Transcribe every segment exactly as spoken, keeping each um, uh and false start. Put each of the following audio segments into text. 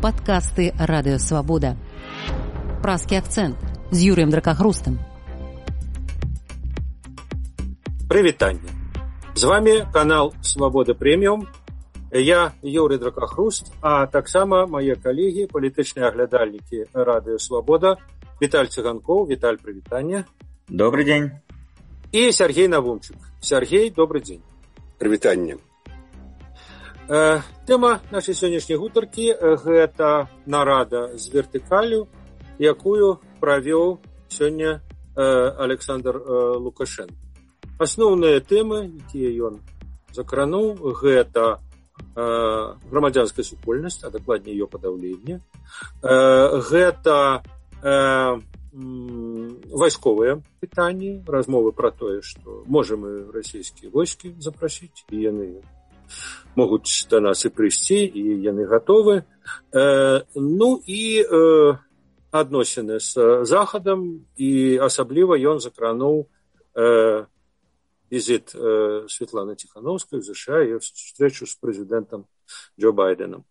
Падкасты Радыёвабода. Празкі акцэнт з Юрыем Дракахрустам. Прывітанне. З вами канал Свабода Прэміум. Я Юрый Дракахруст, а таксама мае калегі, палітычныя аглядальнікі Радыёвабода Віталь Цыганкоў. Віталь, прывітанне. Добрый дзень. І Сергей Навумчык. Сергей, добрый дзень. Прывітанне. Э, тэма нашай сённяшняй гутаркі – гэта нарада з вертыкалю, якую правёў сёння э, Александр э, Лукашенко. Асноўныя тэмы, якія ён закрануў, гэта э, грамадзянская супольнасць, а дакладней её падаўленне, э, гэта э, вайсковыя пытанні, размовы пра тое, што можам мы расійскія войскі запрасіць, і яны могуць да нас і прыйсці, і яны гатовы. Э, ну і э, адносіны з Захадам, і асабліва ён закрануў э, візіт э, Светланы Тихановскай в США і встречу з прэзідэнтам Джо Байденом.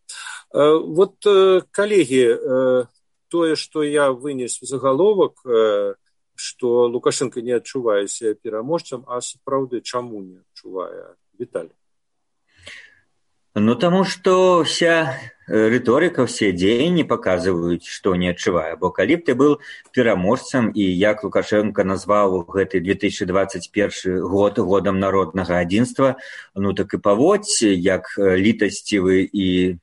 Э, вот, э, калегі, э, тое, што я вынес загаловак, э, што Лукашенко не адчувае себе пераможцам, а сапраўды чаму не адчувае? Віталь. Ну, тому что вся риторика, все дзеянні показывают, что не адчувае. Бо калі б ты был пераможцам, і як Лукашенко назваў гэты две тысячи двадцать первый год годам народнага адзінства, ну так і паводзь, як літасцівы і,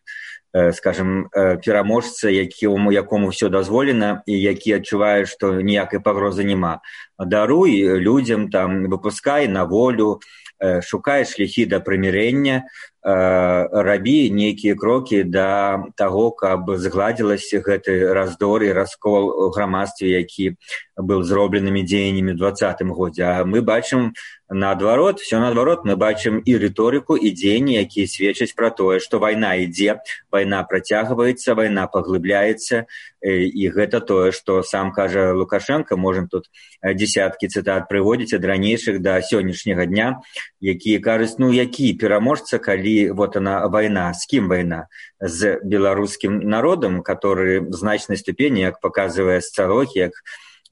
скажем, пераможца, якому, якому все дазволена, і які адчувае, што ніякай пагрозы няма. Даруй людзям, там, выпускай на волю, шукай шляхі да прымірэння, рабі нейкія крокі да таго, каб згладзілася гэты раздор і раскол у грамадстве, які быў зробленымі дзеяннямі ў двадцатым годзе. А мы бачым наадварот, все наадварот, мы бачым і рыторыку, і дзеянні, якія сведчаць пра тое, што вайна ідзе, вайна працягваецца, вайна паглыбляецца, і гэта тое, што сам кажа Лукашенко, можем тут десяткі цытат прыводзіць ад ранейшых да сённяшняга дня, якія кажуць, ну які пераможца, калі вот она вайна, з кім вайна? З беларускім народам, который в значнай ступені, як паказвае сацыялогія, як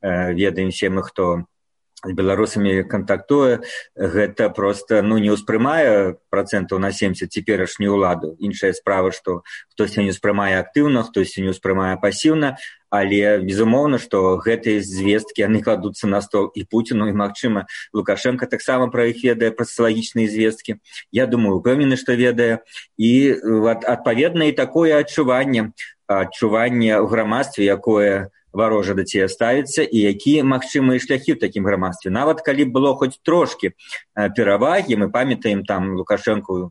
э, ведаем все мы, хто з беларусамі кантактуе, гэта просто, ну, не ўспрымае процентаў на семьдесят цяперашнюю ўладу. Іншая справа, што хтосьці не ўспрымае актыўна, хтосьці не ўспрымае пасіўна, але безумоўна, што гэтыя звесткі, яны кладуцца на стол і Пуціну, і, магчыма, Лукашенко таксама пра іх ведае, пра сацыялагічныя звесткі. Я думаю, упэўнены, што ведае. І адпаведна і такое адчуванне, адчуванне ў грамадстве, якое варожа да цябе ставіцца, і якія магчымыя шляхі ў такім грамадстве. Нават калі было хоць трошкі перавагі, мы памятаем там Лукашенко,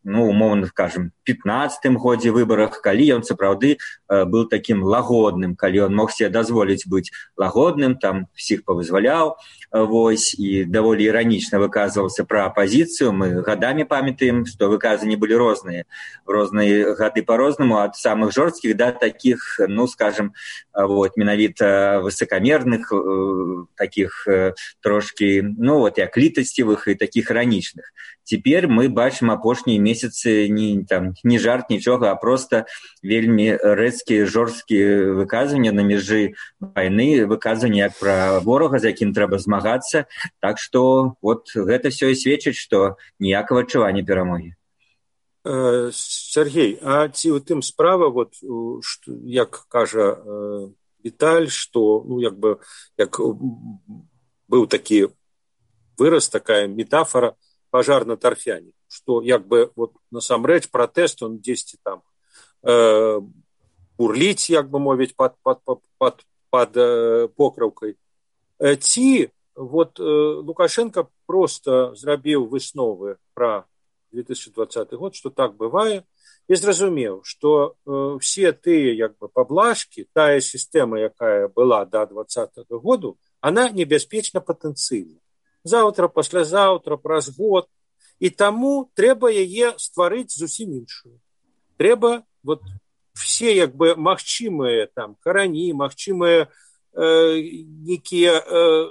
ну, умоўна скажем, пятнадцатым годзе выбарах, калі ён сапраўды был таким лагодным, калі ён мог себе дазволіць быць лагодным, там всіх павызваляў, вось, і даволі іранічна выказваўся пра апазіцыю. Мы гадамі памятаем, што выказанні былі розныя, розныя гады по-рознаму, ад самых жорсткіх да таких, ну, скажем, вот, менавіта высокамерных, таких трошки, ну, вот, як літасцівых і таких іранічных. Цяпер мы бачым апошнія месяцы не, там, не жарт, нічога, а просто вельмі рэзкія, жорсткія выказванні на межы вайны, выказванні як пра ворага, з якім трэба змагацца. Так што вот гэта все і сведчыць, што ніякага адчування перамогі. Э, Сергей, а ці у тым справа, вот, што, як кажа э, Віталь, што, ну, як бы, як быў такі выраз, такая метафора, пожар на торфяне, что як бы вот насамрэч пратэст он дзесьці там э, бурліць, як бы мовіць, под, под, под, под, под э, покрыўкай. Э, ці вот э, Лукашенко просто зрабіў высновы пра две тысячи двадцатый год, что так бывае, і зразумеў, што э, все тыя як бы паблажкі, тая сістэма, якая была до двадцатого году, она небяспечна патэнцыйна. Заўтра, паслязаўтра, праз год. І таму трэба яе стварыць зусім іншую. Трэба вот все як бы магчымыя там карані, магчымыя э, некія э,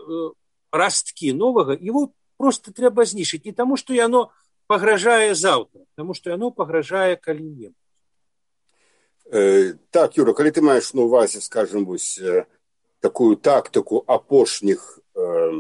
расткі новага, его просто трэба знішыць. Не таму, што яно пагражае заўтра, таму што яно пагражае калі-небудзь. Э, так, Юра, калі ты маеш на увазе, скажем, вось, э, такую тактыку апошніх э,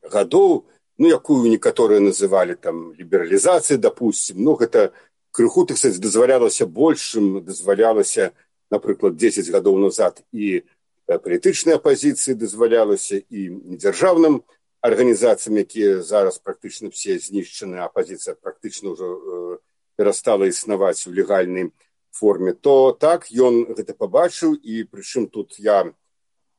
гадоў, ну, якую некаторыя называлі там лібералізацыяй, допустим, ну, гэта крыху, так сказать, дазвалялася большым, дазвалялася, напрыклад, дзесяць гадоў назад і палітычнай апазіцыі дазвалялася, і недзяржаўным арганізацыям, якія зараз практычна все знішчаны, апазіцыя практычна ўжо э, перастала існаваць у легальнай форме, то так, ён гэта пабачыў, і прычым тут я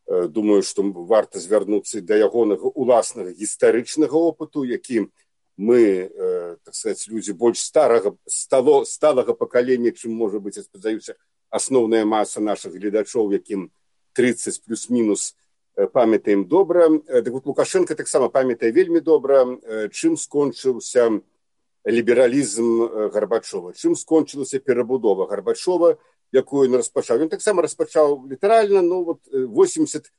э, думаю, што варта звярнуцца да ягонага уласнага гістарычнага опыту, які мы, э, так сказать, людзі больш старага, стало, сталага пакалення, чым, можа быць, я спадзяюся, асноўная маса нашых гледачоў, якім тридцать плюс-мінус памятаем добра. Так вот, Лукашенко таксама памятае вельмі добра, чым скончыўся лібералізм Гарбачова, чым скончылася перабудова Гарбачова, якую ён распачаў. Ён таксама распачаў літаральна, ну, вот, восемьдесят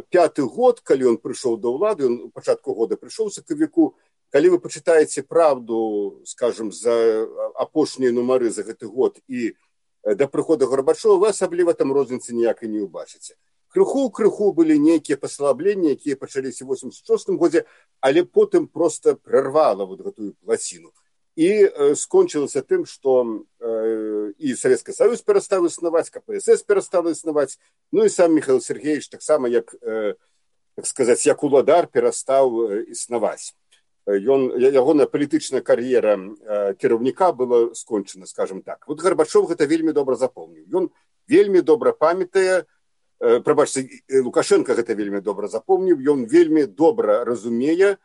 пяты год, калі ён прыйшоў да ўлады, ён у пачатку года прыйшоў сакавіку. Калі вы пачытаеце правду, скажем, за апошнія нумары за гэты год і да прыхода Гарбачова, вы асабліва там розніцы ніякай не ўбачыце. Крыху-крыху былі нейкія паслабленні, якія пачаліся ў восемьдесят шостым годзе, але потым проста прарвала вот гэтую плаціну. І э, скончылася тым, што э, і Савецкі Саюз перастаў існаваць, ка пэ эс эс перастала існаваць, ну і сам Михаил Сергеевич таксама, як, э, так сказаць, як уладар перастаў э, існаваць. Ён, ягоная палітычная кар'ера э, кіраўніка была скончана, скажем так. Вот Гарбачов гэта вельмі добра запомніў. Ён вельмі добра памятае, э, прабачце, Лукашенко гэта вельмі добра запомніў, ён вельмі добра разумее,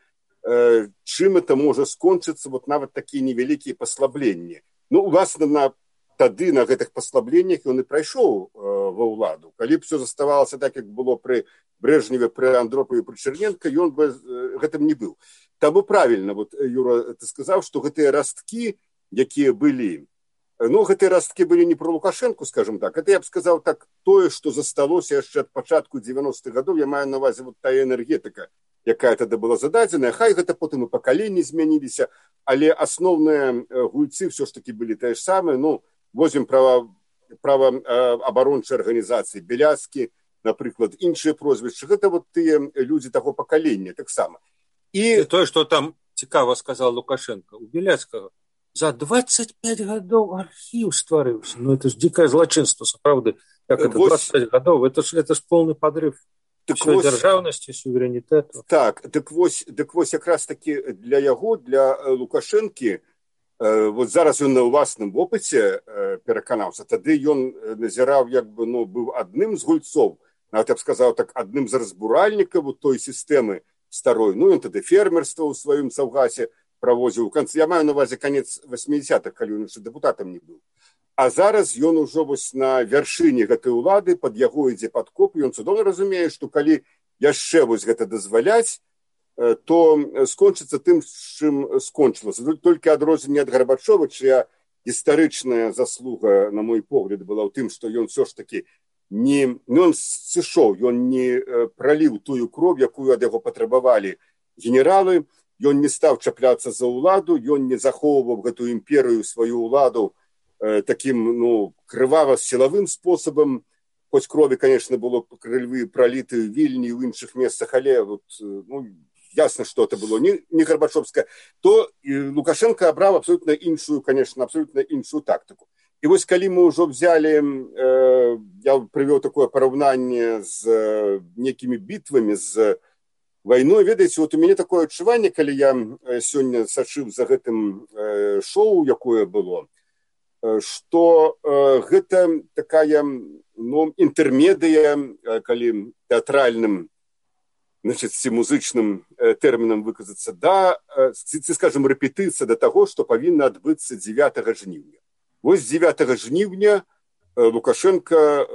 э, чым это можа скончыцца, вот нават такія невялікія паслабленні. Ну, уласна, на, тады на гэтых паслабленнях ён і прайшоў э, ва ўладу. Калі б все заставалася так, як было пры Брежневе, пры Андропове, пры Черненко, ён бы э, гэтым не быў. Таму правільна, вот, Юра, ты сказаў, што гэтыя расткі, якія былі, ну, гэтыя расткі былі не про Лукашенко, скажем так, это я б сказаў так, тое, што засталося яшчэ ад пачатку дзевяностых гадоў, я маю на увазе вот тая энергетыка, якая тады была зададзеная, хай гэта потым і пакаленні змяніліся, але асноўныя гульцы ўсё ж такі былі тыя ж самыя, ну, возьмем права, права абарончай арганізацыі Беляцкі, напрыклад, іншыя прозвішчы, гэта вот тыя людзі таго пакалення таксама. І тое, што там цікава сказал Лукашенко, у Беляцкага за двадцать пять гадоў архіў стварыўся. Ну, это ж дзікае злачынства, сапраўды. Як это, двадцать пять гадоў, это ж, это ж полный подрыв так всей вось, дзяржаўнасці, суверэнітэту. Так, дык вось, дык вось якраз такі для яго, для Лукашэнкі, э, вот зараз ён на ўласным опыце э, пераканаўся, тады ён назіраў, як бы, ну, быў адным з гульцоў, нават я б сказаў так, адным з разбуральнікаў той сістэмы старой. Ну, ён тады фермерства ў сваім Саўгасе правозіў. Я маю на увазе канец восьмидесятых, калі ён яшчэ дэпутатам не быў. А зараз ён ужо вось на вяршыні гэтай улады, пад яго ідзе падкоп, і ён цудоўна разумее, што калі яшчэ вось гэта дазваляць, то скончыцца тым, з чым скончылася. Толькі адрозненне ад Гарбачова, чыя гістарычная заслуга, на мой погляд, была ў тым, што ён ўсё ж такі не, ён сышоў, ён не праліў тую кроў, якую ад яго патрабавалі генералы, ён не стаў чапляцца за ўладу, ён не захоўваў гэтую імперыю, сваю ўладу э, такім, ну, крывава-сілавым спосабам, хоць крові, конечно, было крыві праліты ў Вільні і ў іншых месцах, але вот, ну, ясна, што это было не, не Гарбачовскае, то Лукашенко абраў абсолютна іншую, конечно, абсолютна іншую тактыку. І вось калі мы ўжо взяли, э, я прывёў такое параўнанне з э, некімі бітвамі, з вайной, ведаеце, вот у мяне такое адчуванне, калі я сёння сачыў за гэтым э, шоу, якое было, э, што э, гэта такая, ну, інтэрмедыя, э, калі тэатральным, значит, ці музычным э, тэрмінам выказацца, да, э, ці, скажем, рэпетыцыя да таго, што павінна адбыцца дзевятага жніўня. Вось дзевятага жніўня Лукашенко,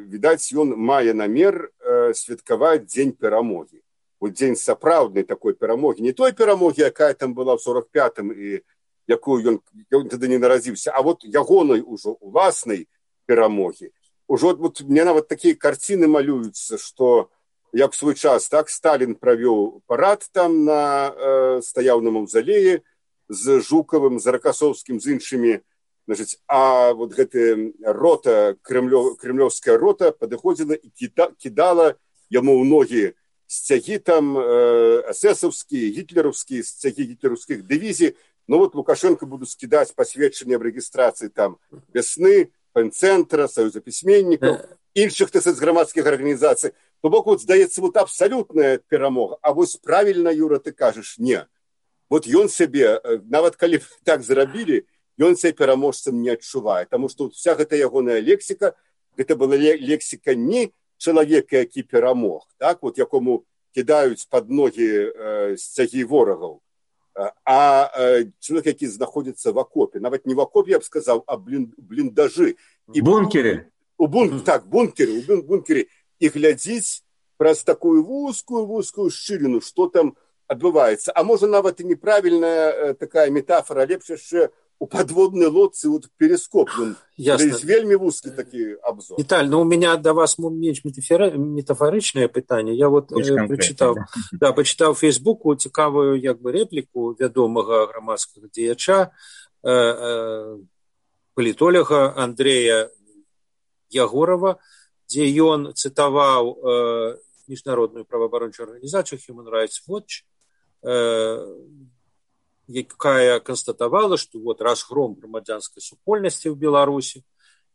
відаць, ён мае намер святкаваць дзень перамогі. Вот дзень сапраўднай такой перамогі. Не той перамогі, якая там была ў сорок пятым і якую ён, ён тады не нарадзіўся, а вот ягонай ужо уласнай перамогі. Ужо вот мне нават такія карціны малююцца, што як в свой час, так, Сталін правёў парад там на э, стаяў на маўзалеі з Жукавым, з Ракасоўскім, з іншымі Значит, а вот гэтая рота, кремлев, кремлевская рота подходила и кида, кидала ему в ноги стяги там э, эсэсовские, гитлеровские, стяги гитлеровских дивизий. Но вот Лукашенко будут скидать посвящение об регистрации там Весны, Пенцентра, Союза письменников, інших, так сказать, громадских организаций. То бок вот, здаецца, вот абсолютная перемога. А вот правильно, Юра, ты кажешь, не. Вот ён себе, нават калі так зрабілі, ён себе пераможцам не адчувае. Потому что вот вся эта ягоная лексика, это была лексика не человека, які перамог, так, вот якому кидаюць под ноги э, стяги ворогов, а э, человек, які знаходится в окопе. Нават не в окопе, я бы сказал, а блин, блиндажи. И бункеры. У бун, так, бункеры, у бункеры. И глядзіць праз такую вузкую-вузкую шчыліну, что там адбываецца. А можа, нават и неправильная э, такая метафора, лепш яшчэ у подводной лодцы вот перископ. Есть вельми узкий такой обзор. Виталь, ну у меня до вас менш метафоричное питание. Я вот э, прочитал, да. Да, почитал в Фейсбуку цікавую як бы реплику вядомого громадского діяча, э, э, політолога Андрея Ягорова, где он цитовал э, международную правоабарончую организацию Human Rights Watch, э, якая констатовала, что вот разгром громадянской супольности в Беларуси,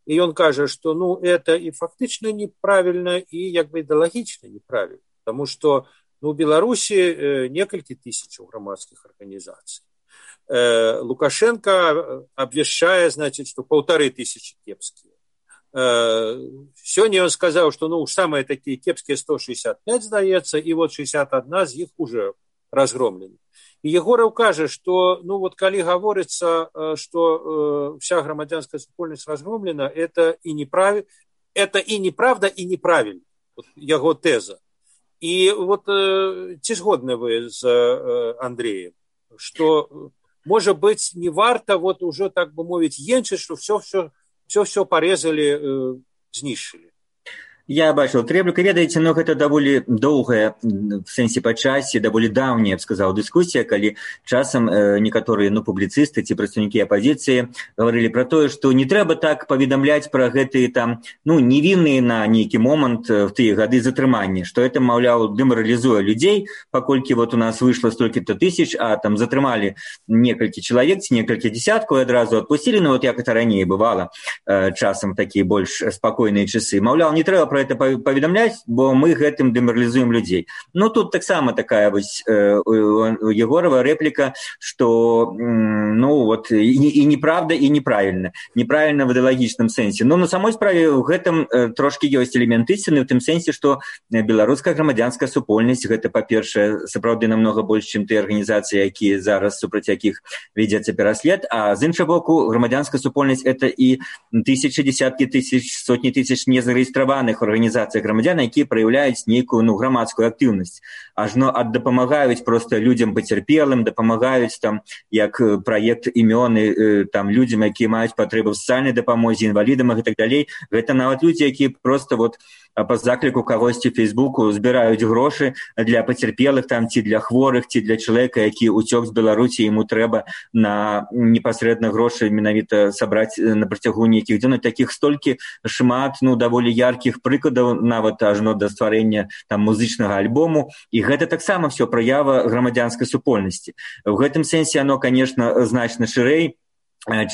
и он кажет, что ну, это и фактично неправильно, и як бы идеологично неправильно, потому что ну, в Беларуси э, несколько тысяч громадских организаций. Э, Лукашенко обвещает, значит, что полторы тысячи кепские. Э, сегодня он сказал, что ну, самые такие кепские сто шестьдесят пять, сдается, и вот шестьдесят один из них уже разгромлены. И Егоров кажет, что, ну вот, коли говорится, что э, вся громадянская супольность разгромлена, это и неправильно, это и неправда, и неправильно. Вот его теза. И вот э, ці згодны вы с э, Андреем, что, может быть, не варто вот уже, так бы мовить, енчить, что все-все, все-все порезали, э, знищили. Я бачыў трэбліка, ведаеце, но гэта даволі доўгая в сэнсе па часе, даволі даўняя, я б сказаў, дыскусія, калі часам э, некаторыя ну, публіцысты ці прадстаўнікі апазіцыі гаварылі пра тое, што не трэба так паведамляць пра гэтыя там ну, невінныя на нейкі момант в тыя гады затрымання, што это, маўляў, дэмаралізуе людзей, паколькі вот у нас выйшла столькі-то тысяч, а там затрымалі некалькі чалавек ці некалькі дзясяткаў і адразу адпусцілі, ну вот як это раней бывала, э, часам такія больш спакойныя часы. Маўляў, не трэба про это паведамляць, бо мы гэтым дэмаралізуем людзей. Ну, тут таксама такая вось э, у Егорова рэпліка, што ну, вот, і, і неправда, і неправільна. Неправільна в ідэалагічным сэнсе. Ну, на самой справе ў гэтым э, трошкі ёсць элемент ісціны, ў тым сэнсе, што беларуская грамадзянская супольнасць, гэта, па-першае, сапраўды намнога больш, чым тыя арганізацыі, якія зараз супраць якіх вядзецца пераслед, а з іншага боку, грамадзянская супольнасць это і тысячы, десяткі тысяч, сотні тысяч незарэгістраваных организациях громадян, якія праяўляюць нейкую ну, грамадскую актыўнасць. Ажно ад дапамагаюць просто людзям пацярпелым, дапамагаюць там як праект імёны там людзям, якія маюць патрэбы ў сацыяльнай дапамозе, інвалідам і так далей. Гэта нават людзі, якія просто вот па закліку кагосьці ў Фейсбуку збіраюць грошы для пацярпелых там ці для хворых, ці для чалавека, які уцёк з Беларусі, яму трэба на непасрэдна грошы менавіта сабраць на працягу нейкіх дзён. Такіх столькі шмат ну даволі яркіх прыкладаў, нават ажно да стварэння там музычнага альбому, і гэта таксама все праява грамадзянскай супольнасці. У гэтым сэнсе оно, конечно, значна шырэй,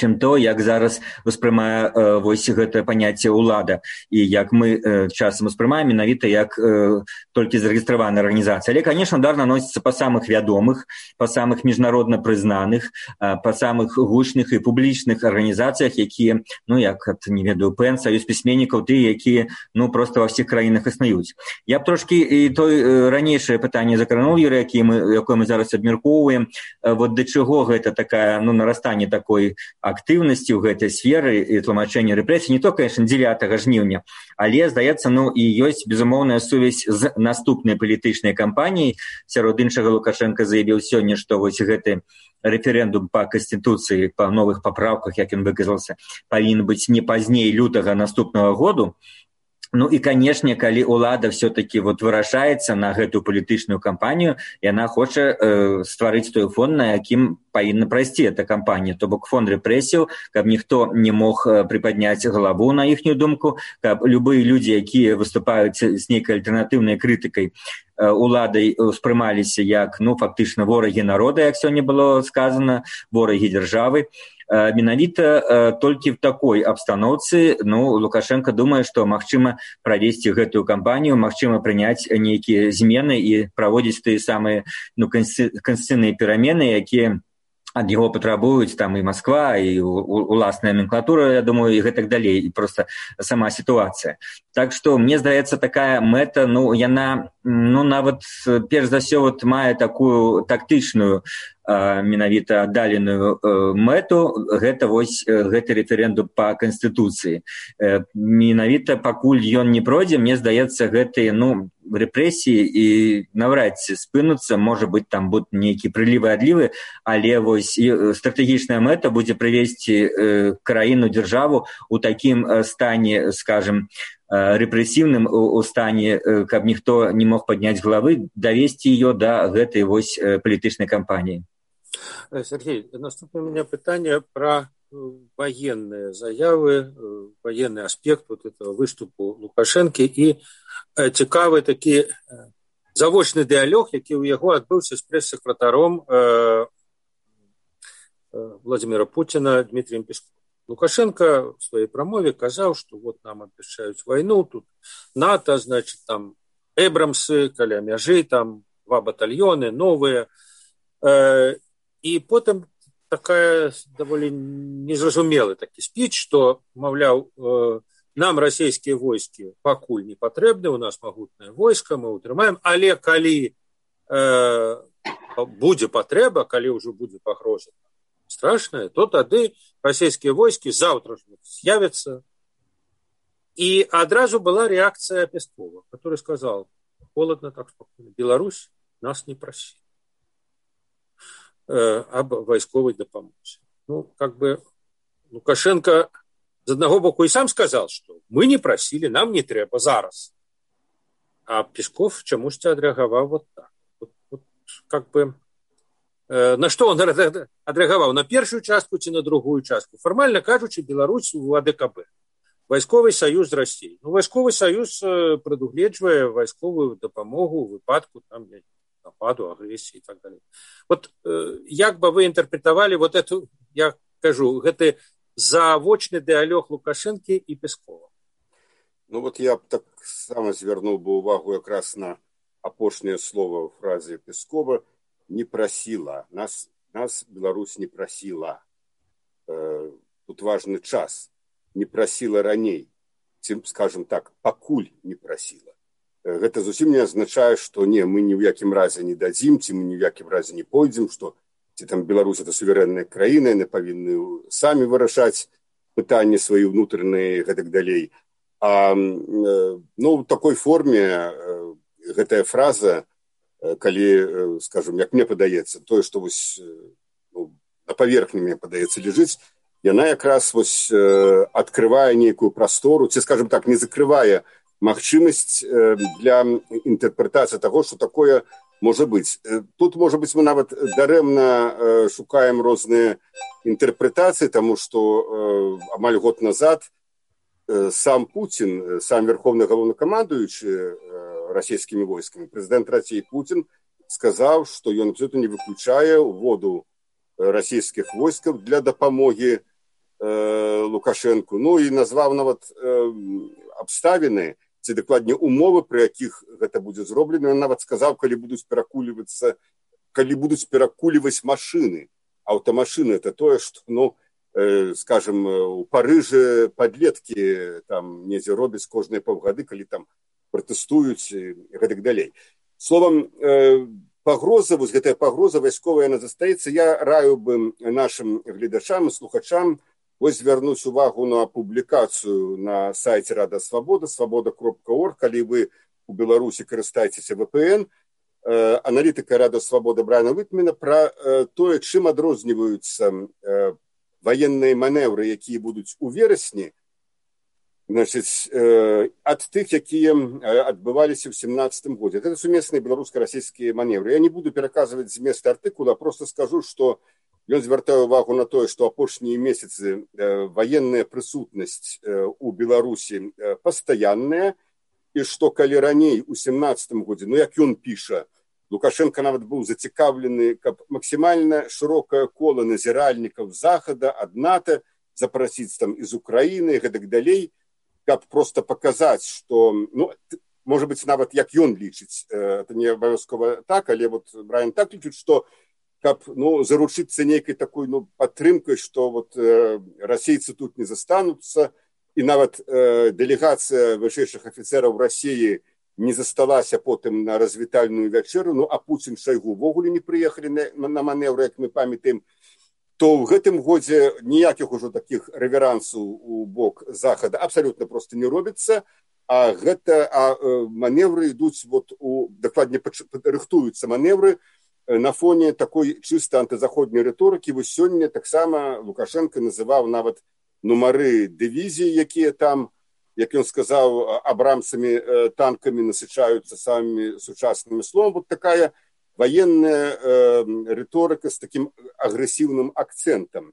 чым то, як зараз успрымае э, вось гэта паняцце ўлада, і як мы э, часам успрымаем менавіта як э, толькі зарэгістраваная арганізацыя. Але, конечно, удар наносіцца па самых вядомых, па самых міжнародна прызнаных, э, па самых гучных і публічных арганізацыях, якія, ну, як, не ведаю, ПЭН, Саюз пісьменнікаў, тыя, якія, ну, просто ва ўсіх краінах існуюць. Я б трошкі і той э, ранейшае пытанне закрануў, Юрый, якое мы, якое мы зараз абмяркоўваем, э, вот да чаго гэта такая, ну, нарастанне такой актыўнасці ў гэтай сферы і тлумачэння рэпрэсій, не то, конечно, дзевятага жніўня, але, здаецца, ну, і ёсць безумоўная сувязь з наступнай палітычнай кампаніяй. Сярод іншага Лукашенко заявіў сёння, што вось гэты рэферэндум па канстытуцыі, па новых папраўках, як ён выказаўся, павінен быць не пазней лютага наступнага году. Ну і, канешне, калі ўлада все-таки вот вырашаецца на гэтую палітычную кампанію, яна хоча э, стварыць той фон, на якім павінна прайсці эта кампанія, то бок фон рэпрэсіяў, каб ніхто не мог прыпадняць галаву на іхнюю думку, каб любыя людзі, якія выступаюць з нейкай альтэрнатыўнай крытыкай уладай, успрымаліся як, ну, фактычна ворагі народа, як сёння было сказано, ворагі дзяржавы. Менавіта толькі в такой абстаноўцы, ну, Лукашенко думае, што магчыма правесці гэтую кампанію, магчыма прыняць нейкія змены і праводзіць тыя самыя, ну, канстытуцыйныя перамены, якія ад яго патрабуюць там і Москва, і уласная номенклатура, я думаю, і гэтак далей, і просто сама сітуацыя. Так што, мне здаецца, такая мэта, ну, яна, ну, нават, перш за ўсё, вот, мае такую тактычную менавіта аддаленую мэту, гэта вось гэты рэферэндум па канстытуцыі. Менавіта пакуль ён не пройдзе, мне здаецца, гэтыя, ну, рэпрэсіі і навряд ці спынуцца, можа быць, там будуць нейкія прылівы-адлівы, але вось стратэгічная мэта будзе прывесці краіну, дзяржаву у такім стане, скажем, рэпрэсіўным у стане, каб ніхто не мог падняць галавы, давесці ее да гэтай вось палітычнай кампаніі. Сергей, наступное у меня питание про военные заявы, военный аспект вот этого выступу Лукашенко и цікавый такі завочны дыалог, які ў яго адбыўся з прэс-сакратаром Владимира Путина Дмитрием Песковым. Лукашенко в своей промове сказал, что вот нам обещают войну, тут НАТО, значит, там Эбрамсы, каля мяжы, там два батальоны новые. И потом такая довольно незразумелый такі спіч, что, мовляв, нам российские войски пакуль не патрэбны, у нас могутное войско, мы утрымаем, але калі э, будзе патрэба, калі ўжо будзе пагроза страшная, то тады российские войски завтра же з'явятся. И одразу была реакция Пескова, который сказал, холодно так спокойно, Беларусь нас не просит э, об войсковой допомозе. Ну, как бы Лукашенко з одного боку и сам сказал, что мы не просили, нам не трэба зараз. А Песков чамусьці адрэагаваў вот так. Вот, вот, как бы, э, на что он адрэагаваў? На первую частку ці на другую частку? Формально кажучи, Беларусь у А Д К Б. Вайсковый саюз з Россией. Ну, вайсковый саюз прадугледжвае вайсковую дапамогу ў выпадку там, нападу, агрэсіі і так далее. Вот э, як бы вы интерпретовали вот эту, я кажу, гэты завочны дыалог Лукашенко и Пескова? Ну вот я так само звярнуў бы увагу якраз на апошняе слово в фразе Пескова «не просила». Нас, нас Беларусь не просила. Э, тут важный час. Не просила раней. Ці, скажем так, пакуль не просила. Э, гэта зусім не азначае, што не, мы ні ў якім разе не дадзім, ці мы ні ў якім разе не пойдзем, што ці там Беларусь это суверэнная краіна, яны павінны самі вырашаць пытанні свае ўнутраныя і гэтак далей. А ну, в такой форме гэтая фраза, калі, скажем, як мне падаецца, тое, што вось, ну, на паверхні, мне падаецца, лежыць, яна якраз вось адкрывае нейкую прастору, ці, скажем так, не закрывае магчымасць для інтэрпрэтацыі таго, што такое можа быць. Тут, можа быць, мы нават дарэмна шукаем розныя інтэрпрэтацыі, таму што амаль год назад сам Путин, сам верховный главнокомандующий российскими войсками, президент России Путин сказал, что он абсолютно не выключая вводу российских войск для допомоги э, Лукашенку. Ну и назвал нават э, обставины, ці дакладней умовы, при якіх гэта будзе зроблена. Он нават сказал, калі будуць перакульвацца, калі будуць перакульваць машины. Аўтамашыны это тое, што, ну, скажем, у Парыжы подлетки там недзе робяць кожныя паўгады, калі там пратэстуюць і гэтак далей. Словом, пагроза, вось гэтая пагроза вайсковая, яна застаецца. Я раю бы нашим гледачам і слухачам вось звярнуць увагу на публікацыю на сайце Рада Свабода, свабода кропка орг, калі вы у Беларусі карыстаецеся вэ пэ эн, аналітыка Рада Свабода Брайана Вітмена пра тое, чым адрозніваюцца военные маневры, якія будуць у верасні, значыць, э, ад тых, якія адбываліся ў сямнадцатым годзе. Это сумесныя беларуска-расійскія маневры. Я не буду пераказваць змест артыкула, просто скажу, што ён звяртае ўвагу на тое, што апошнія месяцы э, ваенная прысутнасць э, у Беларусі э, пастаянная, і што калі раней у сямнадцатым годзе, ну як ён піша, Лукашенко нават быў зацікаўлены, каб максімальна шырокае кола назіральнікаў захада ад НАТО запрасіць там з Украіны і гэтак далей, каб проста паказаць, што, ну, можа быць, нават як ён лічыць, это не абавязкова так, але вот Брайан так лічыць, што каб, ну, заручыцца нейкай такой, ну, падтрымкай, што вот э, расейцы тут не застануцца, і нават э, дэлегацыя вышэйшых афіцэраў Расіі не засталася потым на развітальную вячэру, ну, а Пуцін, Шайгу ўвогуле не прыехалі на, на манеўры, як мы памятаем, то ў гэтым годзе ніякіх ужо такіх рэверансаў у бок захада абсалютна проста не робіцца, а гэта а маневры ідуць, вот, у, дакладней рыхтуюцца маневры на фоне такой чыста антызаходняй рыторыкі. Вось сёння таксама Лукашенко называў нават нумары дывізій, якія там, як ён сказаў, абрамсамі танкамі насычаюцца самымі сучаснымі словамі. Вот такая военная э, рыторыка з такім агрэсіўным акцэнтам.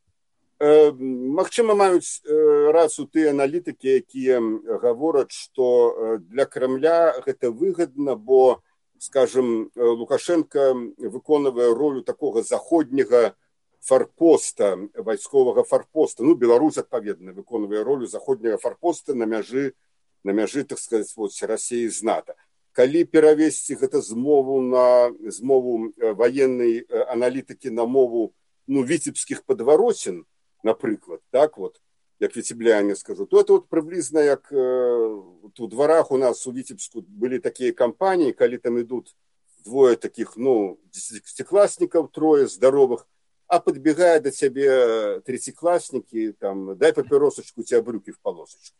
Э, магчыма, маюць э, рацыю тыя аналітыкі, якія гавораць, што для Крамля гэта выгадна, бо, скажем, Лукашенко выконвае ролю такога заходняга фарпоста, вайсковага фарпоста. Ну, Беларусь, адпаведна, выконвае ролю заходняга фарпоста на мяжы, на мяжы, так сказаць, вот, Расіі з НАТО. Калі перавесці гэта з мову на з мову ваеннай аналітыкі на мову, ну, віцебскіх падваротен, напрыклад, так вот, як віцебляне скажу, то это вот прыблізна як э, у дварах у нас у Віцебску былі такія кампаніі, калі там ідуць двое такіх, ну, десятиклассников, трое здоровых, а подбегая до тебе третьеклассники, там, дай папиросочку, у тебя брюки в полосочку.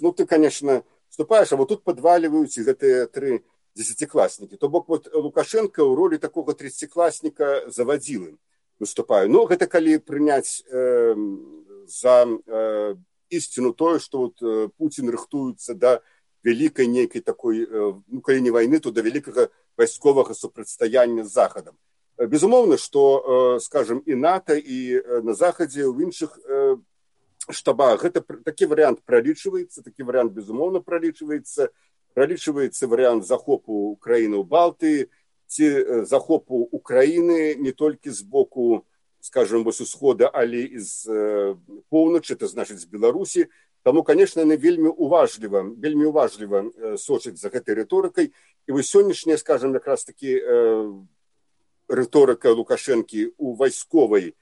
Ну, ты, конечно, вступаешь, а вот тут подваливаются эти три десятиклассники. То бок вот Лукашенко в роли такого тридцатиклассника заводил выступаю. Ну, это коли принять э, за э, истину то, что вот э, Путин рыхтуется до великой некой такой, э, ну, коли не войны, то до великого войскового супрацьстаяння с Заходом. Безумоўна, што, скажем, і НАТО, і на Захадзе, ў іншых штабах гэта такі варыянт пралічваецца, такі варыянт, безумоўна, пралічваецца. Пралічваецца варыянт захопу Украіны ў Балтыі, ці захопу Украіны не толькі з боку, скажем, з усхода, але і з поўначы, это значыць з Беларусі. Таму, конечно, яны вельмі уважліва, вельмі уважліва сочаць за гэтай рыторыкай. І вось сённяшняя, скажем, якраз такі рыторика Лукашенки у войсковой,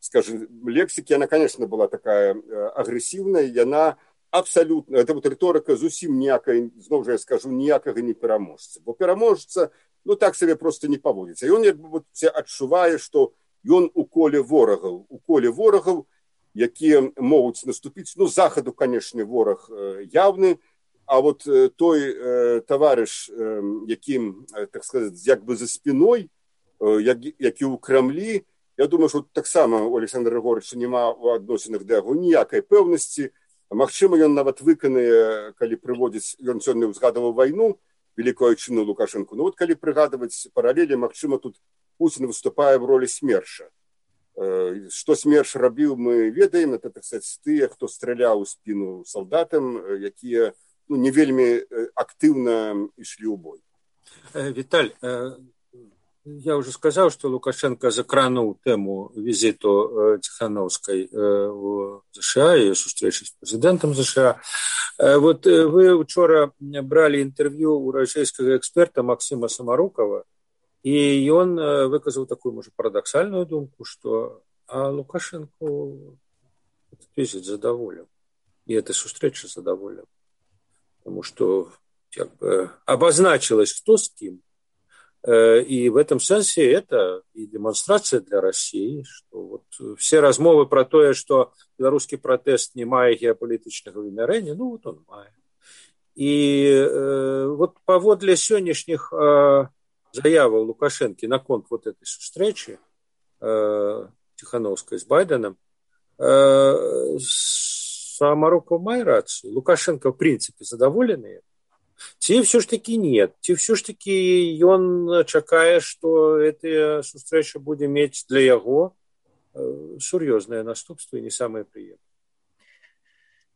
скажем, лексики, она, конечно, была такая агрессивная, и она абсолютно, это вот риторика зусім ніякай, знову же я скажу, ніякага не пераможца. Бо пераможца, ну так себе просто не поводится. И он як бы вот адчувае, что он у коле ворогаў, у коле ворогаў, якія могуць наступіць. Ну, Заходу, конечно, ворог явны, а вот той э, товарищ, э, яким, так сказать, як бы за спиной, Як, як і ў Крамлі, я думаю, што таксама у Александра Григорьевича няма ў адносінах да яго ніякай пэўнасці. Магчыма, ён нават выканае, калі прыводзіць, ён сёння ўзгадаваў вайну, великую айчыну Лукашенко. Ну вот калі прыгадваць паралелі, магчыма, тут Путін выступае в ролі смерша. Што смерш рабіў, мы ведаем, это, так сказать, тыя, хто страляў у спіну салдатам, якія, ну, не вельмі актыўна ішлі ў бой. Виталь, я уже сказал, что Лукашенко закранул тему визиту Тихановской в США и встречи с президентом США. Вот вы вчера брали интервью у российского эксперта Максима Самарукова, и он выказал такую, может, парадоксальную думку, что а Лукашенко этот визит задоволен, и эта встреча задоволен, потому что как бы обозначилось, кто с кем. И в этом смысле это и демонстрация для России, что вот все размовы про то, что белорусский протест не мае геополитичного вымярэння, ну вот он мае. И э, вот паводле сённяшніх э, заяваў Лукашенко наконт вот этой встречи э, Тихановской с Байденом, э, Самаруков мае рацию. Лукашенко, в принципе, задоволены. Ці все ж таки нет. Ці все ж таки ён чакае, что эта сустрэча будзе мець для яго сур'ёзныя наступствы, не самые приятные.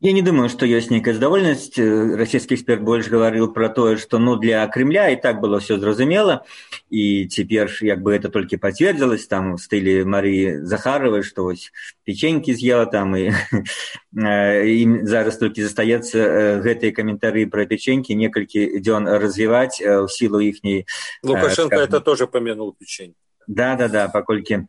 Я не думаю, что есть некая задоволенность. Российский эксперт больше говорил про то, что ну, для Кремля и так было все зразумело, и теперь как бы это только подтвердилось, там в стиле Марии Захаровой, что вот печеньки съела там, и им зараз только застается гэтые комментарии про печеньки несколько дён развивать в силу ихней... Лукашенко скажем, это тоже помянул печеньки. Да-да-да, покольки...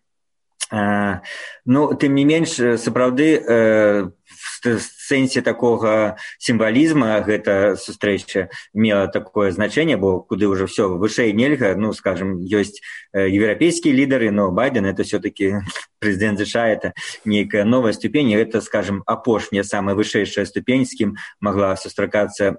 Ну, тым не менш, сапраўды, в сэнсе такога сімвалізма гэта сустрэча мела такое значэнне, бо куды ўжо все вышэй нельга, ну, скажем, ёсць еўрапейскія лідары, но Байден это все-таки прэзідэнт США, это нейкая новая ступень, и это, скажем, апошняя, самая вышэйшая ступень, з кім магла сустракацца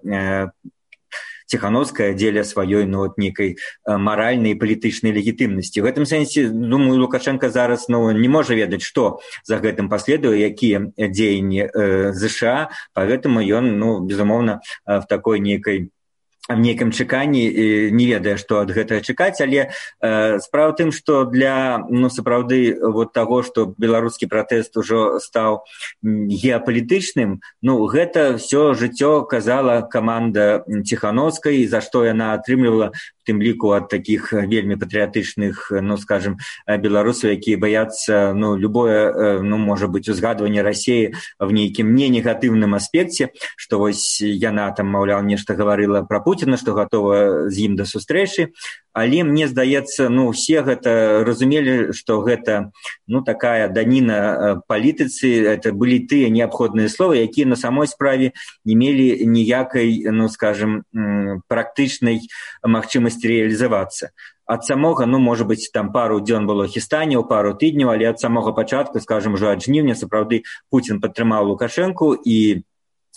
Тихановская дзеля сваёй ну, вот, некай маральнай і палітычнай легітымнасці. В гэтым сэнсе, думаю, Лукашенко зараз ну, не можа ведаць, што за гэтым паследуе, якія дзеянні э, ЗША, поэтому ён, ну, безумоўна, в такой некай в нейкім чаканні не ведае, што ад гэтага чакаць, але э, справа тым, што для ну, сапраўды вот таго, што беларускі пратэст ужо стаў геапалітычным, ну, гэта ўсё жыццё казала каманда Тихановскай, за што яна атрымлівала в тым ліку ад такіх вельмі патрыятычных, ну, скажем, беларусаў, якія баяцца, ну, любое, ну, можа быць, узгадванне Расіі в нейкім не негатыўным аспекце, што вось яна там, маўляў, нешта гаварыла пра Пуціна, што гатова з ім да сустрэчы, але мне здаецца, ну, усе гэта разумелі, што гэта, ну, такая даніна палітыцы, это былі тыя неабходныя словы, якія на самой справе не мелі ніякай, ну, скажем, практычнай магчымасці реалізавацца. Ад самога, ну, можа быць, там пару дзён было хістанняў, пару тыдняў, але ад самога пачатку, скажем, ужо ад жніўня сапраўды Пуцін падтрымаў Лукашэнку, і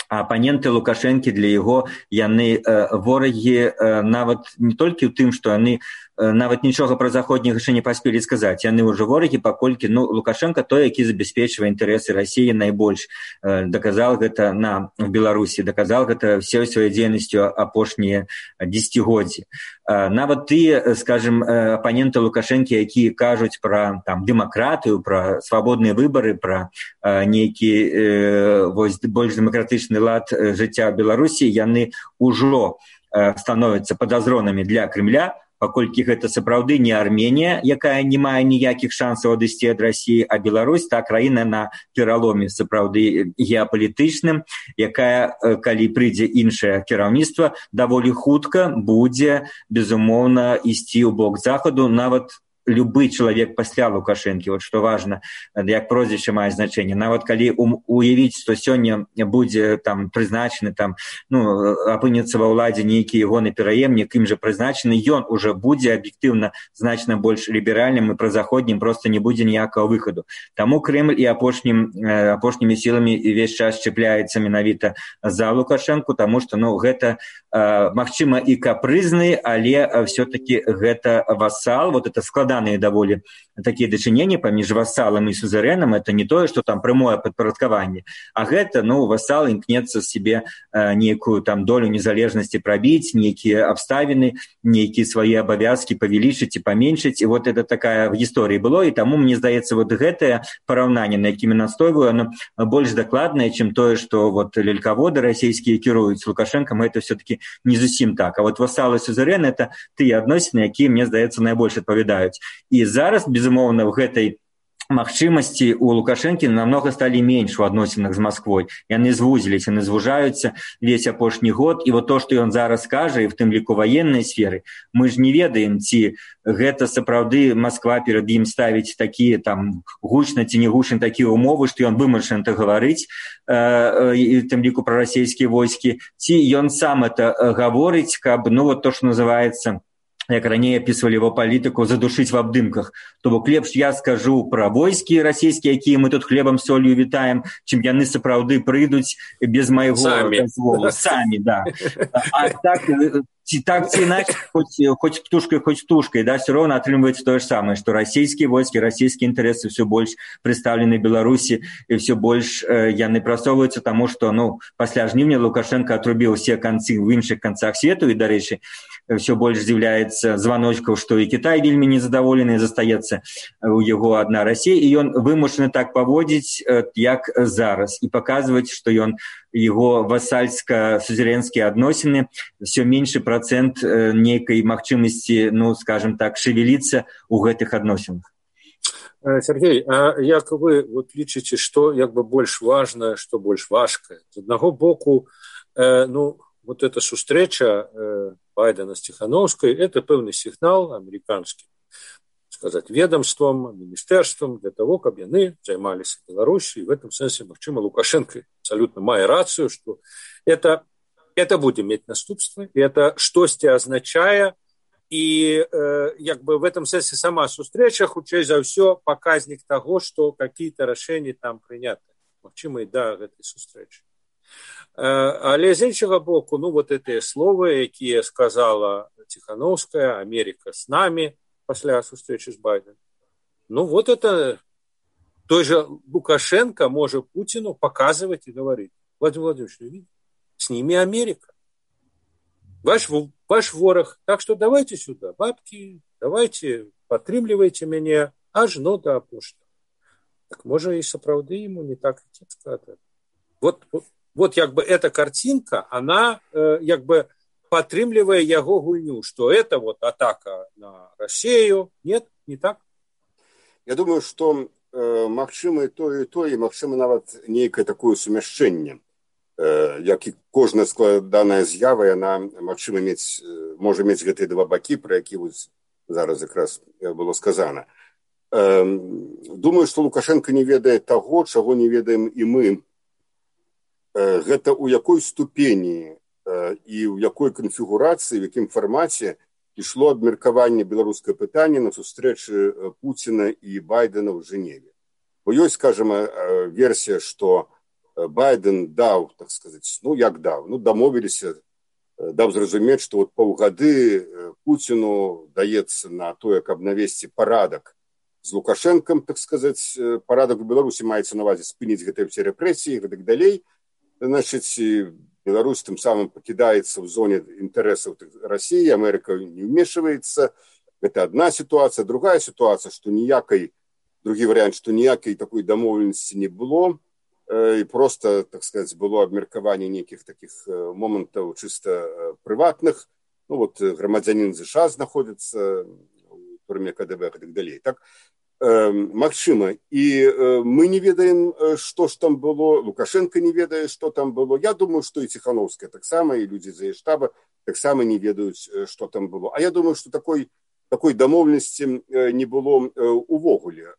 апаненты Лукашэнкі для яго яны э, ворагі э, нават не толькі ў тым, што яны э, нават нічога пра заходніх яшчэ не паспелі сказаць. Яны ўжо ворагі, паколькі ну, Лукашенко той, які забяспечвае інтарэсы Расіі найбольш. Э, даказал гэта на в Беларусі, даказал гэта ўсёй сваёй дзейнасцю апошнія дзесяцігоддзі. Э, нават тыя, скажем, э, апаненты Лукашэнкі, якія кажуць пра там дэмакратыю, пра свабодныя выбары, пра э, нейкі э, вось больш дэмакратычны лад жыцця ў Беларусі, яны ўжо э, становяцца падазронамі для Кремля, паколькі гэта сапраўды не Арменія, якая не мае ніякіх шансаў адысці ад Расіі, а Беларусь та краіна на пераломе сапраўды геапалітычным, якая, калі прыйдзе іншае кіраўніцтва, даволі хутка будзе, безумоўна, ісці ў бок захаду, нават любы чалавек пасля Лукашэнкі, вот што важна, як прозвішча мае значэнне. Нават калі уявіць, што сёння будзе там прызначаны, там, ну, апынецца ва ўладзе нейкі ягоны пераемнік, ім жа прызначаны, ён ужо будзе аб'ектыўна значна больш ліберальным і празаходнім, проста не будзе ніякага выхаду. Таму Крэмль і апошнім, апошнімі сіламі увесь час чапляецца менавіта за Лукашэнку, таму што, ну, гэта магчыма і капрызны, але все-таки гэта васал, вот это складаныя даволі такія дачыненні паміж васалам і сузерэнам, это не тое, што там прямое падпарадкаванне, а гэта, ну, васал імкнецца себе нейкую там долю незалежнасці прабіць, нейкія абставіны, нейкія свае абавязкі павялічыць і паменшыць, і вот это такая в гісторыі было, і таму, мне здаецца, вот гэтае параўнанне, на якім я настойваю, оно больш дакладнае, чым тое, што вот лелькаводы расійскія кіруюць Лукашэнкам, это все-таки не зусім так. А вот васалы сузерэн — это тыя адносіны, якія, мне здаецца, найбольш адпавядаюць. І зараз, безумоўна, в гэтай магчымасці у Лукашэнкі намнога сталі менш у адносінах з Масквой. Яны звузіліся, яны звужаюцца весь апошні год. І вот то, што ён зараз кажа, і в тым ліку ваеннай сферы, мы ж не ведаем, ці гэта сапраўды Масква перад ім ставіць такія там гучна ці не гучна такія умовы, што ён вымушаны так гаварыць, э, і в тым ліку пра расійскія войскі, ці ён сам это гаворыць, каб, ну, вот то, што называецца, як раней апісвалі его палітыку, задушыць в абдымках. То бок лепш я скажу пра войскі расійскія, якія мы тут хлебам солью вітаем, чым яны сапраўды прыйдуць без майго дазволу. Самі, да. А так ці так ці іначай, хоць, хоць птушкай, хоць птушкай, да, все роўна атрымліваецца тое ж самае, што расійскія войскі, расійскія інтарэсы ўсё больш прадстаўлены Беларусі, і ўсё больш э, яны прасоўваюцца, таму што, ну, пасля жніўня Лукашенко атрубіў усе канцы ў іншых канцах свету, і, дарэчы, ўсё больш з'яўляецца званочкаў, што і Кітай вельмі незадаволены, застаецца у яго адна Расія, і ён вымушаны так паводзіць, э, як зараз, і паказваць, што ён его васальска-сузерэнскія адносіны, все меньше процент э, нейкай магчымасці, ну, скажем так, шевеліцца ў гэтых адносінах. Сергей, а як вы вот лічыце, што як бы больш важна, што больш важкае? З аднаго боку, э, ну, вот эта сустрэча э, Байдена з Ціхановскай, это пэўны сігнал амерыканскі, сказать, ведомствам, министерствам для того, каб яны займаліся Беларусью. И в этом смысле, магчыма, Лукашенко абсолютно мае рацию, что это, это будет иметь наступства, и это штосьці означае, и э, як бы в этом смысле сама сустрэча, хутчэй за ўсё, показник того, что какие-то решения там приняты. Магчыма, и да, гэтай сустрэчы. Э, але з іншага боку, ну, вот эти словы, якія сказала Ціхановская, Америка с нами, после встречи с Байденом. Ну, вот это той же Лукашенко может Путину показывать и говорить: Владимир Владимирович, с ними Америка. Ваш, ваш ворог. Так что давайте сюда, бабки, давайте, падтрымлівайце мяне аж ну до апошняга. Так может и сапраўды ему не так и сказать. Вот, вот, вот как бы эта картинка, она э, как бы падтрымлівае яго гульню, что это вот атака на Россию. Нет, не так? Я думаю, что э, магчыма и то, и то, и магчыма нават нейкае такое сумяшчэнне. Э, як і кожная складаная з'ява, яна магчыма мець, можа мець гэтыя два бакі, пра які вось зараз якраз было сказана. Э, думаю, што Лукашенко не ведае таго, чаго не ведаем і мы. Э, гэта ў якой ступені і ў якой канфігурацыі, в якім фармаце ішло абмеркаванне беларускае пытанне на сустрэчы Пуціна і Байдена ў Жэневе. Бо ёсць, скажем, версія, што Байден даў, так сказаць, ну як даў, ну дамовіліся, даў зразумець, што вот паўгады Пуціну даецца на тое, каб навесці парадак з Лукашэнкам, так сказаць, парадак у Беларусі маецца на ўвазе спыніць гэтыя ўсе рэпрэсіі і гэтак далей. Значыць, Беларусь тем самым покидается в зоне интересов России, Америка не вмешивается. Это одна ситуация. Другая ситуация, что ніякой, другий вариант, что ніякой такой домовленности не было. И просто, так сказать, было обмеркование неких таких моментов чисто приватных. Ну вот громадянин США находится в турме КДБ и так далее. Так, магчыма. І мы не ведаем, што ж там было, Лукашенко не ведае, што там было. Я думаю, што і Ціхановская таксама, і людзі з яе штаба таксама не ведаюць, што там было. А я думаю, што такой, такой дамоўленасці не было увогуле.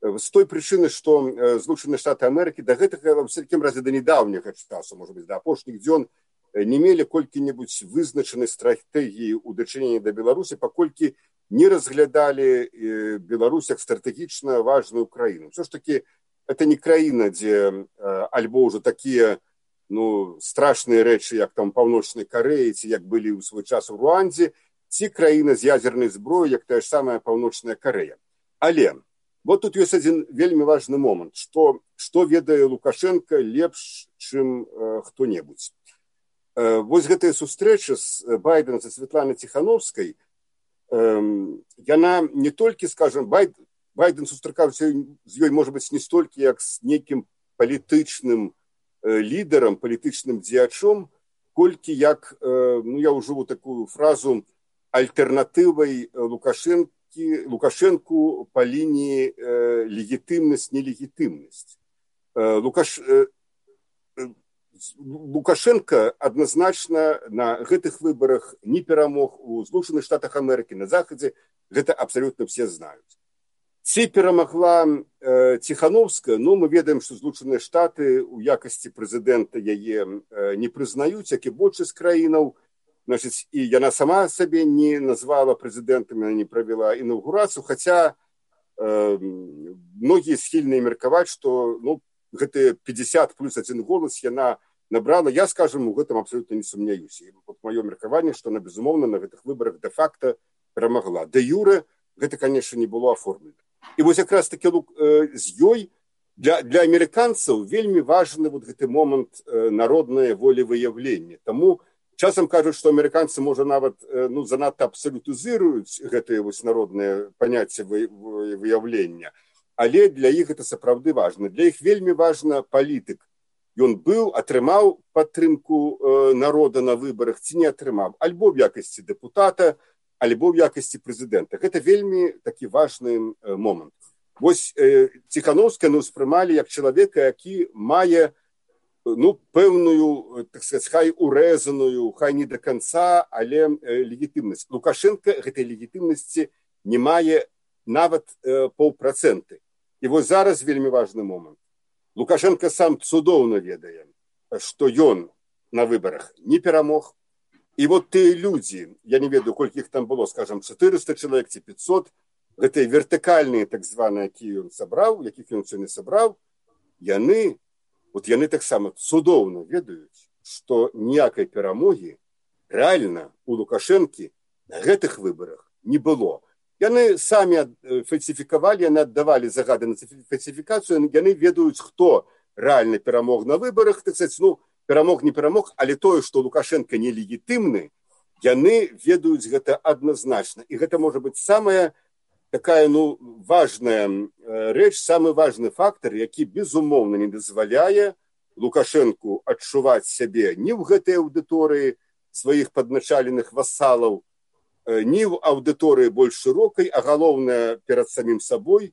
З той прычыны, што Злучаныя Штаты Амерыкі да гэтага, ва ўсякім разе, да недаўняга часу, можа быць, да апошніх дзён, не мелі колькі-небудзь вызначанай стратэгіі ў дачыненні да Беларусі, паколькі не разглядали Беларусь як стратегічна важную краіну. Все ж таки, это не краіна, дзе альбо ўжо такія, ну, страшныя рэчы, як там Паўночнай Карэі, ці як былі ў свой час у Руандзе, ці краіна з ядзернай зброяй, як тая ж самая Паўночная Карэя. Але вот тут ёсць адзін вельмі важны момант, што, што ведае Лукашенко лепш, чым э, хто-небудзь. Э, вось гэтая сустрэча з Байденом са Святланай Ціхановскай, яна не толькі, скажем, Байден, Байден сустракаўся з ёй, можа быць, не столькі як з нейкім палітычным лідарам, палітычным дзеячом, колькі як, ну я ўжыву такую фразу, альтэрнатывай Лукашэнкі, Лукашэнку па лініі легітымнасць-нелегітымнасць. Лукаш... Лукашенко адназначна на гэтых выбарах не перамог у Злучаных Штатах Амерыкі, на Захадзе, гэта абсалютна все знаюць. Ці перамагла э, Ціхановская, ну мы ведаем, што Злучаныя Штаты у якасці прэзідэнта яе э, не прызнаюць, як і большасць краінаў. Значыць, і яна сама сабе не назвала прэзідэнтам, яна не правяла інаўгурацыю, хаця э, многія схільныя меркаваць, што ну, гэтыя пятьдесят плюс один голас яна набрала, я, скажем, у гэтым абсолютно не сумняюсь. І вот маё меркаванне, што она, безумоўна, на гэтых выбарах де-факто перамагла. Де-юре гэта, конечно, не было аформлена. І вось якраз таки э, з ёй для, для амерыканцаў вельмі важны вот гэты момант э, народнае волевыяўлення. Таму часам кажуць, што амерыканцы, можа, нават э, ну, занадта абсалютызіруюць гэтае вось народнае паняцце выяўлення. Але для іх гэта сапраўды важна. Для іх вельмі важна палітык. Ён быў, атрымаў падтрымку э, народа на выбарах ці не атрымаў. Альбо в якасці дэпутата, альбо в якасці прэзідэнта. Гэта вельмі такі важны э, момант. Вось э, Ціхановская ну, ўспрымалі як чалавека, які мае ну, пэўную, так сказаць, хай урэзаную, хай не да канца, але э, легітымнасць. Лукашенко гэтай легітымнасці не мае нават э, паўпрацэнты. І вось зараз вельмі важны момант. Лукашенко сам цудоўна ведае, што ён на выбарах не перамог. І вот тыя людзі, я не ведаю, колькі іх там было, скажам, чатырыста чалавек ці пятьсот, гэтыя вертыкальныя, так званыя, якія ён сабраў, якіх ён сёння сабраў, яны, вот яны таксама цудоўна ведаюць, што ніякай перамогі рэальна у Лукашэнкі на гэтых выбарах не было. Яны самі фальсіфікавалі, яны аддавалі загады на фальсіфікацыю, яны ведаюць, хто рэальна перамог на выбарах, так сказаць, ну, перамог не перамог, але тое, што Лукашенко нелегітымны, яны ведаюць гэта адназначна. І гэта можа быць самая такая, ну, важная рэч, самы важны фактар, які, безумоўна, не дазваляе Лукашенку адчуваць сябе ні ў гэтай аўдыторыі сваіх падначаленых васалаў, ні ў аўдыторыі больш шырокай, а галоўнае перад самім сабой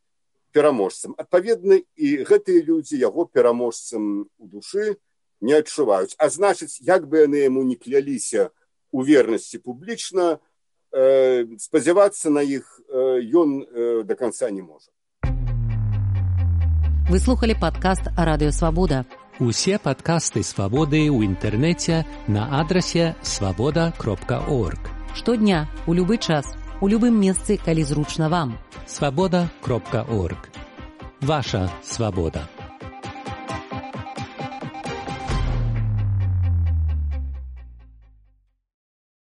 пераможцам. Адпаведна, і гэтыя людзі яго пераможцам у душы не адчуваюць. А значыць, як бы яны яму не кляліся у вернасці публічна, э, спадзявацца на іх э, ён э, до конца не можа. Вы слухали падкаст «Радыё Свабода». Усе падкасты «Свабоды» ў інтэрнэце на адрасе свабода кропка орг. Штодня, у любы час, у любым месцы, калі зручна вам. свабода кропка орг. Ваша свабода.